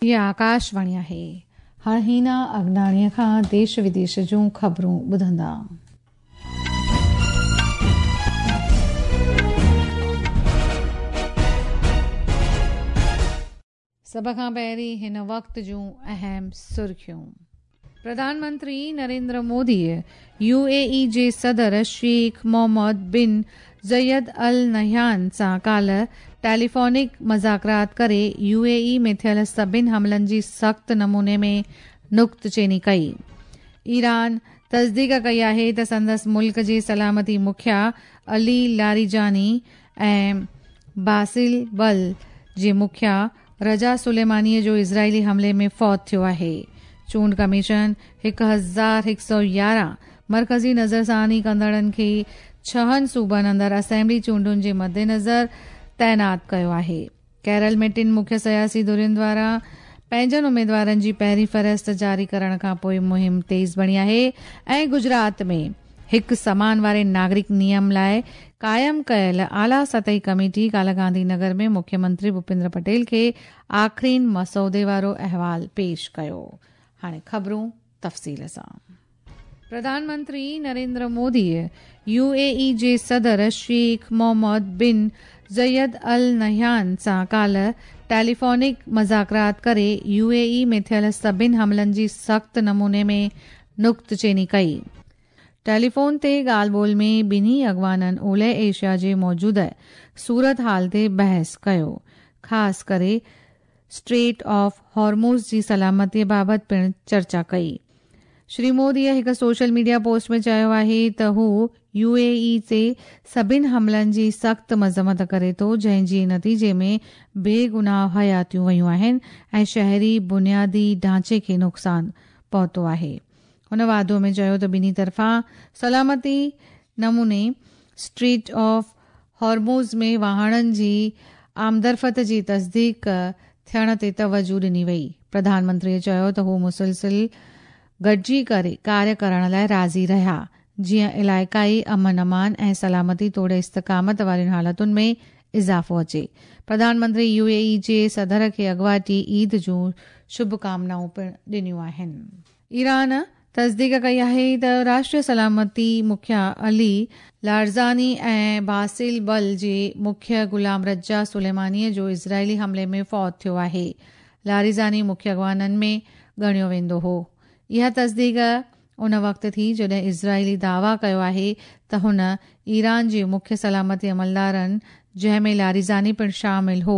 هيء آڪاشواڻي آهي. هاڻ هينا اگناڻيء کان ديش وديش جون خبرون ٻڌندا. سڀ کان پهرين هن وقت جون اهم سرخيون. پرڌان منتري نريندر موديء يو اي اي جي صدر شيخ محمد بن زيد النهيان سان ڪالهه ٽيليفونڪ مذاڪرات ڪري يو اي اي ۾ ٿيل سڀن حملن جي سخت نموني ۾ نڪتچيني ڪئي. ايران تصديق ڪئي آهي ته سندس ملڪ جي سلامتي مکيا علي لاريجاني ۽ باسل بل جي مکيا رضا سليمانيء جو اسرائيلي حملي ۾ فوت ٿيو آهي. چونڊ ڪميشن 1111 مرڪزي نظرثاني ڪندڙن کي ڇهن صوبن اندر اسيمبلي چونڊن جي مدنظر تعينات ڪيو آهي. ڪيرل ۾ ٽن مکيه سياسي ڌرين دواران پنهنجن اميدوارن جي پهرين فهرست جاري ڪرڻ کانپوء مهم تيز بڻي آهي ۽ گجرات ۾ هڪ سمان واري ناگرڪ نيم لاء قائم ڪيل اعليٰ سطحي ڪميٽي ڪالهه گانڌي نگر ۾ مکيه منتري ڀوپيندر پٽيل کي آخرين مسودي وارو احوال پيش ڪيو. هاڻي خبرون تفصيل سان. پرڌان منتري نريندر موديء يو اي اي جي صدر شيخ محمد بن زيد النهيان سان ڪالهه ٽيليفونڪ مذاڪرات ڪري يو اي اي ۾ ٿيل سڀن حملن جي سخت نموني ۾ نڪتچيني ڪئي. ٽيليفون تي ڳالهه ٻولهه ۾ ٻنهي اڳواڻن اولهه ايشيا جي موجوده صورتحال تي بحث ڪيو، خاص ڪري اسٽريٽ آف هارموز جي سلامتي بابت پڻ چرچا ڪئي. شري موديء هڪ سوشل ميڊيا پوسٽ ۾ چيو آهي ته هو يو اي اي تي سڀن حملن جي سخت مذمت ڪري ٿو جنهن جي نتيجي ۾ بيگناهه حياتيون ويون آهن ۽ شهري بنيادي ڍانچي کي نقصان پهتو آهي. هن واڌو ۾ چيو ته ٻنهي طرفان سلامتي نموني اسٽريٽ آف هارموز ۾ واهڻن جي آمدرفت جي تصديق ٿيڻ تي توجهه ڏني وئي. پرڌان منتريء چيو ته هو مسلسل گڏجي ڪري ڪاريه ڪرڻ لاء راضي رهيا، جيئن علائقائي امن امان ۽ سلامتي توڙي استقامت وارين حالتن ۾ اضافو اچي. پرڌان منتري يو اي اي جي صدر کي اڳواٽي عيد جون شڀ ڪامنائون پڻ ڏنيون آهن. ايران تصديق ڪئي آهي ته راشٽريه سلامتي مکيا علي لارزاني ۽ باسل بل جي مکيه غلام رضا سليماني جو اسرائيلي حملي ۾ فوت ٿيو آهي. لاريزاني مکيه اڳواڻن ۾ ڳڻيو ويندو هو. اها تصديق ان وقت ٿي جڏهن اسرائيلي دعويٰ ڪيو آهي ته هن ايران جي مکيه سلامتي عملدارن جنهن ۾ لاريزاني پڻ شامل هو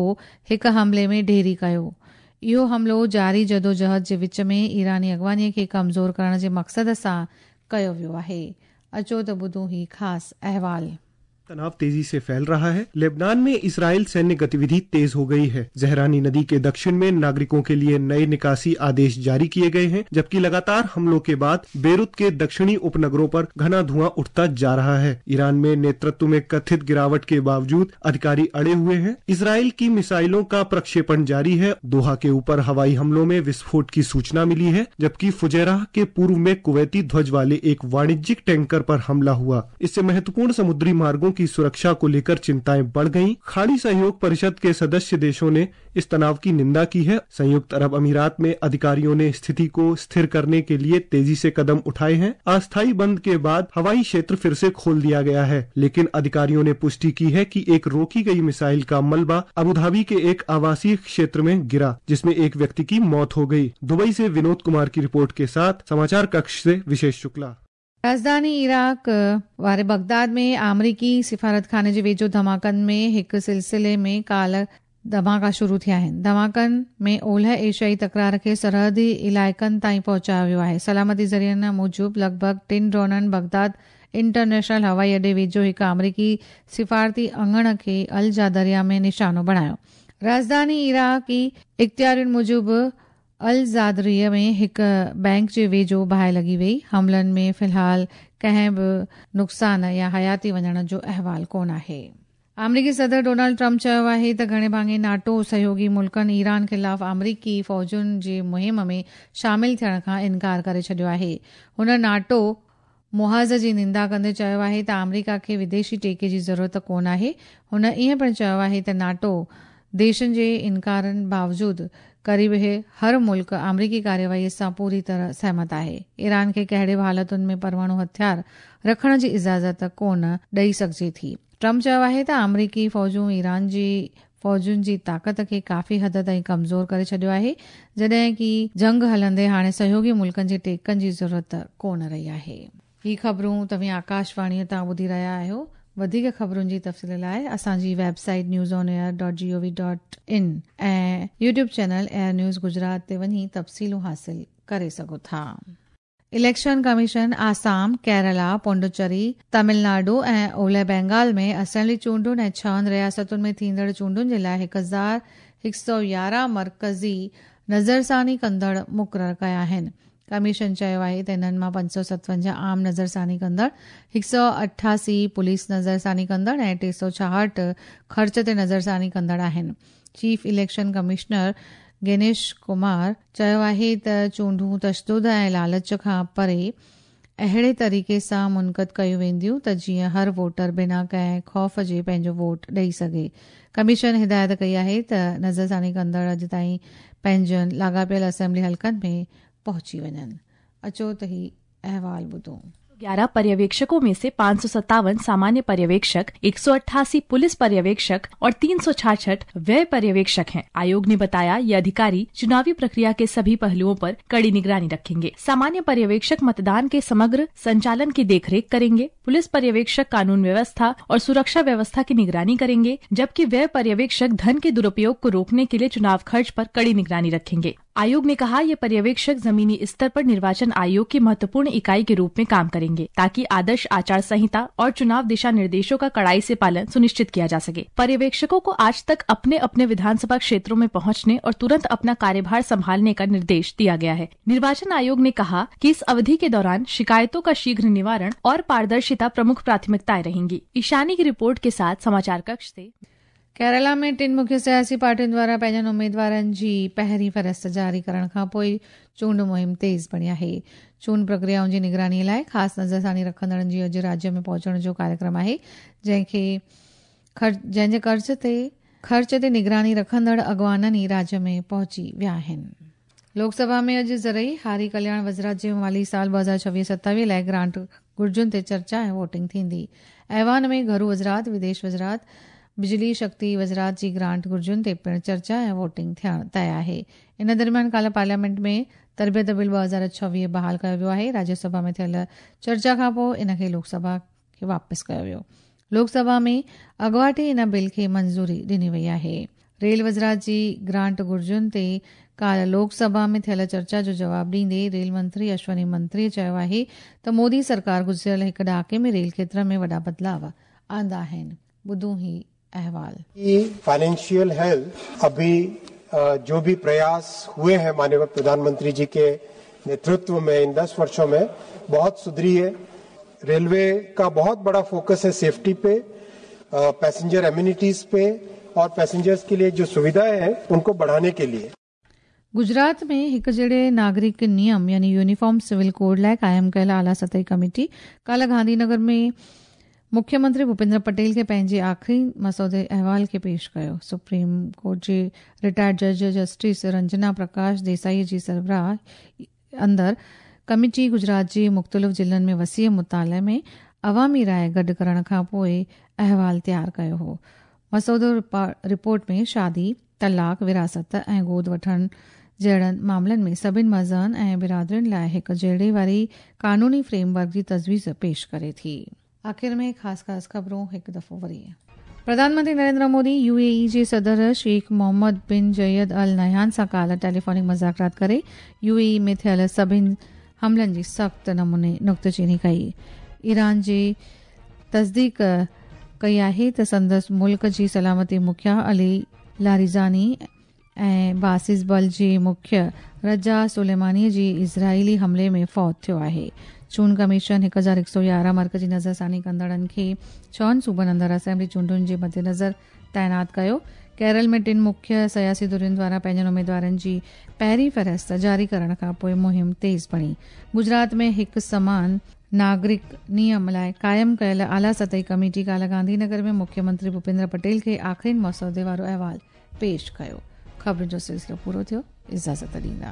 هڪ حملي ۾ ڍيري ڪيو. اهو حملو جاري جدوجهد جي وچ ۾ ايراني اڳواڻي کي ڪمزور ڪرڻ جي مقصد سان ڪيو ويو آهي. اچو ته ٻڌون هي خاص احوال. तनाव तेजी से फैल रहा है। लेबनान में इसराइल सैन्य गतिविधि तेज हो गई है। जहरानी नदी के दक्षिण में नागरिकों के लिए नए निकासी आदेश जारी किए गए हैं, जबकि लगातार हमलों के बाद बेरुत के दक्षिणी उपनगरों पर घना धुआं उठता जा रहा है। ईरान में नेतृत्व में कथित गिरावट के बावजूद अधिकारी अड़े हुए हैं। इसराइल की मिसाइलों का प्रक्षेपण जारी है। दोहा के ऊपर हवाई हमलों में विस्फोट की सूचना मिली है, जबकि फुजैराह के पूर्व में कुवैती ध्वज वाले एक वाणिज्यिक टैंकर पर हमला हुआ। इससे महत्वपूर्ण समुद्री मार्गों की सुरक्षा को लेकर चिंताएं बढ़ गईं। खाड़ी सहयोग परिषद के सदस्य देशों ने इस तनाव की निंदा की है। संयुक्त अरब अमीरात में अधिकारियों ने स्थिति को स्थिर करने के लिए तेजी से कदम उठाए हैं। अस्थायी बंद के बाद हवाई क्षेत्र फिर से खोल दिया गया है, लेकिन अधिकारियों ने पुष्टि की है कि एक रोकी गई मिसाइल का मलबा अबुधाबी के एक आवासीय क्षेत्र में गिरा, जिसमें एक व्यक्ति की मौत हो गई। दुबई से विनोद कुमार की रिपोर्ट के साथ समाचार कक्ष से विशेष शुक्ला। राजधानी इराक واري بغداد ۾ آمريڪي سفارتخاني جي ويجهو ڌماڪن ۾ هڪ سلسلي ۾ ڪالهه ڌماڪا شروع ٿيا آهن. ڌماڪن ۾ اولهه ايشيائي تڪرار کي سرحدي علائقن تائين پهچايو ويو آهي. سلامتي ذريعن موجب لڳ ڀڳ ٽن ڊرونن بغداد انٽرنيشنل هوائي اڏي ويجهو هڪ آمريڪي سفارتي اڱڻ کي الجادريا ۾ نشانو بڻايو. راڄڌاني عراقي اختيارين موجب الزادريه ۾ هڪ بئنڪ جي ويجهو باهه لڳي وئي. حملن ۾ في الحال ڪنهن به نقصان يا حياتي وڃڻ جو احوال ڪونه آهي. آمريڪي صدر ڊونلڊ ٽرمپ چيو آهي ته گهڻي ڀاڱي ناٽو سهيوڳي ملڪن ايران خلاف آمريڪي فوجن جي مهم ۾ شامل ٿيڻ کان انڪار ڪري ڇڏيو آهي. هن ناٽو محاذ جي نندا ڪندي چيو آهي ته آمريڪا کي وديشي ٽيڪي جي ضرورت ڪونه آهي. هن ائين پڻ چيو آهي ته ناٽو ديشن جي انڪارن باوجود قريب هر ملڪ آمريڪي ڪارروائي سان پوري طرح سهمت آهي. ايران کي ڪهڙي به حالتن ۾ پرماڻو هٿيار رکڻ جي اجازت ڪونه ڏئي سگهجي ٿي. ٽرمپ چيو آهي ته آمريڪي فوجون ايران جي فوجن جي طاقت کي ڪافي حد تائين ڪمزور ڪري ڇڏيو آهي، جڏهن ڪه جنگ هلندي هاڻي سهيوڳي ملڪن جي ٽيڪن جي ضرورت ڪونه رهي آهي. هي خبرون توهين آڪاشواڻيء تان ٻڌي رهيا آهيو. وڌيڪ خبرن جي تفصيل لاء اسان جي website news on air dot G O V dot in ۽ YouTube channel air news Gujarat تي وڃي تفصيلون حاصل ڪري سگهو ٿا. اليڪشن ڪميشن آسام، ڪيرالا، پونڊوچري، تامل ناڊو ۽ اولهه بينگال ۾ اسيمبلي چونڊن ۽ ڇهن رياستن ۾ ٿيندڙ چونڊن جي لاء 1111 مرڪزي نظرثاني ڪندڙ مقرر ڪيا آهن. ڪميشن چيو آهي ته انهن مان 557 عام نظرثاني ڪندڙ، 188 پوليس نظرثاني ڪندڙ ۽ 366 خرچ تي نظرثاني ڪندڙ آهن. Chief election commissioner Gyanesh Kumar چيو آهي ته چونڊون تشدد ۽ لالچ کان پري اهڙي طريقي سان منعقد ڪيون وينديون ته جيئن هر ووٽر بنا ڪنهن خوف جي پنهنجو ووٽ ڏئي سگهي. ڪميشن هدايت ڪئي آهي ته نظرثاني ڪندڙ اڄ تائين پنهنجن لاڳاپيل اسيمبلي حلقن ۾ پهچي وڃن. اچو ته هي احوال ٻڌون. 11 पर्यवेक्षकों में से 557 सामान्य पर्यवेक्षक, 188 पुलिस पर्यवेक्षक और 366 व्यय पर्यवेक्षक हैं। आयोग ने बताया, ये अधिकारी चुनावी प्रक्रिया के सभी पहलुओं पर कड़ी निगरानी रखेंगे। सामान्य पर्यवेक्षक मतदान के समग्र संचालन की देखरेख करेंगे। पुलिस पर्यवेक्षक कानून व्यवस्था और सुरक्षा व्यवस्था की निगरानी करेंगे, जबकि व्यय पर्यवेक्षक धन के दुरुपयोग को रोकने के लिए चुनाव खर्च पर कड़ी निगरानी रखेंगे। आयोग ने कहा, ये पर्यवेक्षक जमीनी स्तर पर निर्वाचन आयोग की महत्वपूर्ण इकाई के रूप में काम करेंगे, ताकि आदर्श आचार संहिता और चुनाव दिशा निर्देशों का कड़ाई से पालन सुनिश्चित किया जा सके। पर्यवेक्षकों को आज तक अपने अपने विधानसभा क्षेत्रों में पहुंचने और तुरंत अपना कार्यभार संभालने का निर्देश दिया गया है। निर्वाचन आयोग ने कहा कि इस अवधि के दौरान शिकायतों का शीघ्र निवारण और पारदर्शिता प्रमुख प्राथमिकताएं रहेंगी। ईशानी की रिपोर्ट के साथ समाचार कक्ष से। केरला में टिन मुख्य सियासी पार्टियुनि द्वारा पंहिंजनि उमेदवारनि जी पहिरीं फ़हरिस्त जारी करण खां पोइ चूंड मुहिम तेज़ बणी आहे। चूंड प्रक्रियाउनि जी निगरानीअ लाइ ख़ासि नज़रसानी रखंदड़नि जी अॼु राज्य में पहुचण जो कार्यक्रम आहे, जंहिंजे ख़र्च ते निगरानी रखंदड़ अॻवाननि ई राज्य में पहुची विया आहिनि। लोकसभा में अॼु ज़रई हारी कल्याण वज़ारत जे माली साल 2026-27 लाइ ग्रांट घुर्जुनि ते चर्चा ऐं वोटिंग थींदी। ऐवान में घरू वज़ारत, विदेश वज़ारत, बिजली शक्ति वज़ारत जी ग्रांट घुर्जुनि ते पिणु चर्चा ऐं वोटिंग थियणु तय आहे। इन दरमियान काल्ह पार्लियामेंट में तरबियत बिल 2026 बहाल कयो वियो आहे। राज्यसभा में थियल चर्चा खां पोइ इन खे लोकसभा खे वापसि कयो वियो। लोकसभा में अॻवाटे इन बिल खे मंज़ूरी ॾिनी वई आहे। रेल वज़ारत जी ग्रांट घुर्जुनि ते काल्ह लोकसभा में थियल चर्चा जो जवाब ॾींदे रेल मंत्री अश्वनी मंत्री चयो आहे त मोदी सरकार गुज़िरियल हिकु ॾहाके में रेल क्षेत्र में वॾा बदिलाव आंदा आहिनि। ॿुधूं ही अहवाल। फाइनेंशियल हेल्थ अभी जो भी प्रयास हुए हैं माननीय प्रधानमंत्री जी के नेतृत्व में इन 10 वर्षों में बहुत सुधरी है। रेलवे का बहुत बड़ा फोकस है सेफ्टी पे, पैसेंजर एम्यूनिटीज पे और पैसेंजर्स के लिए जो सुविधाएं हैं उनको बढ़ाने के लिए। गुजरात में हिकु जहिड़े नागरिक नियम यानी यूनिफॉर्म सिविल कोड लाइ क़ाइमु कयल आला सतही कमेटी काल्ह गांधीनगर में मुख्यमंत्री भूपेंद्र पटेल खे पंहिंजे आख़िरी मसौदे अहवाल खे पेश कयो। सुप्रीम कोर्ट जे रिटायर्ड जज जस्टिस रंजना प्रकाश देसाई जी सरबराह अंदरि कमेटी गुजरात जे मुख़्तलिफ़ ज़िलनि में वसीअ मुताले में अवामी राय गॾु करण खां पोइ अहवाल तयारु कयो हो। मसौदो रिपोर्ट में शादी, तलाक, विरासत ऐं गोद वठण जहिड़नि मामलनि में सभिनी मज़हबनि ऐं बिरादरियुनि लाइ हिकु जहिड़े वारी कानूनी फ्रेमवर्क जी तजवीज़ पेश करे थी। आख़िर में ख़ासि ख़ासि ख़बरूं हिकु दफ़ो वरी। प्रधानमंत्री नरेंद्र मोदी यूएई जे सदर शेख मोहम्मद बिन जैद अल नहयान सां काल्ह टेलीफोनिक मुज़ाकरात करे यूएई में थियल सभिनी हमलनि जी सख़्तु नमूने नुक्तचीनी कई। ईरान जी तस्दीक कई आहे त संदसि मुल्क जी सलामती मुखिया अली लारिजानी ऐं बासिस बल जे मुख्य रजा सुलेमानी जी इज़राइली हमले में फौत थियो आहे। चूंड कमीशन 1111 मर्कज़ी नज़रसानी कंदड़नि खे 6 सूबनि अंदरि असेंबली चूंडुनि जे मद्देनज़र तैनात कयो। केरल में टिन मुख्य सियासी धुरियुनि द्वारा पंहिंजनि उमेदवारनि जी पहिरीं फ़हरिस्त जारी करण खां पोइ मुहिम तेज़ बणी। गुजरात में हिकु समान नागरिक नियम लाइ क़ाइमु कयल आला सतही कमेटी काल्ह गांधीनगर में मुख्यमंत्री भूपेंद्र पटेल खे आख़िरी मसौदे वारो अहवाल पेश कयो। ख़बरुनि जो सिलसिलो पूरो थियो, इजाज़त ॾींदा।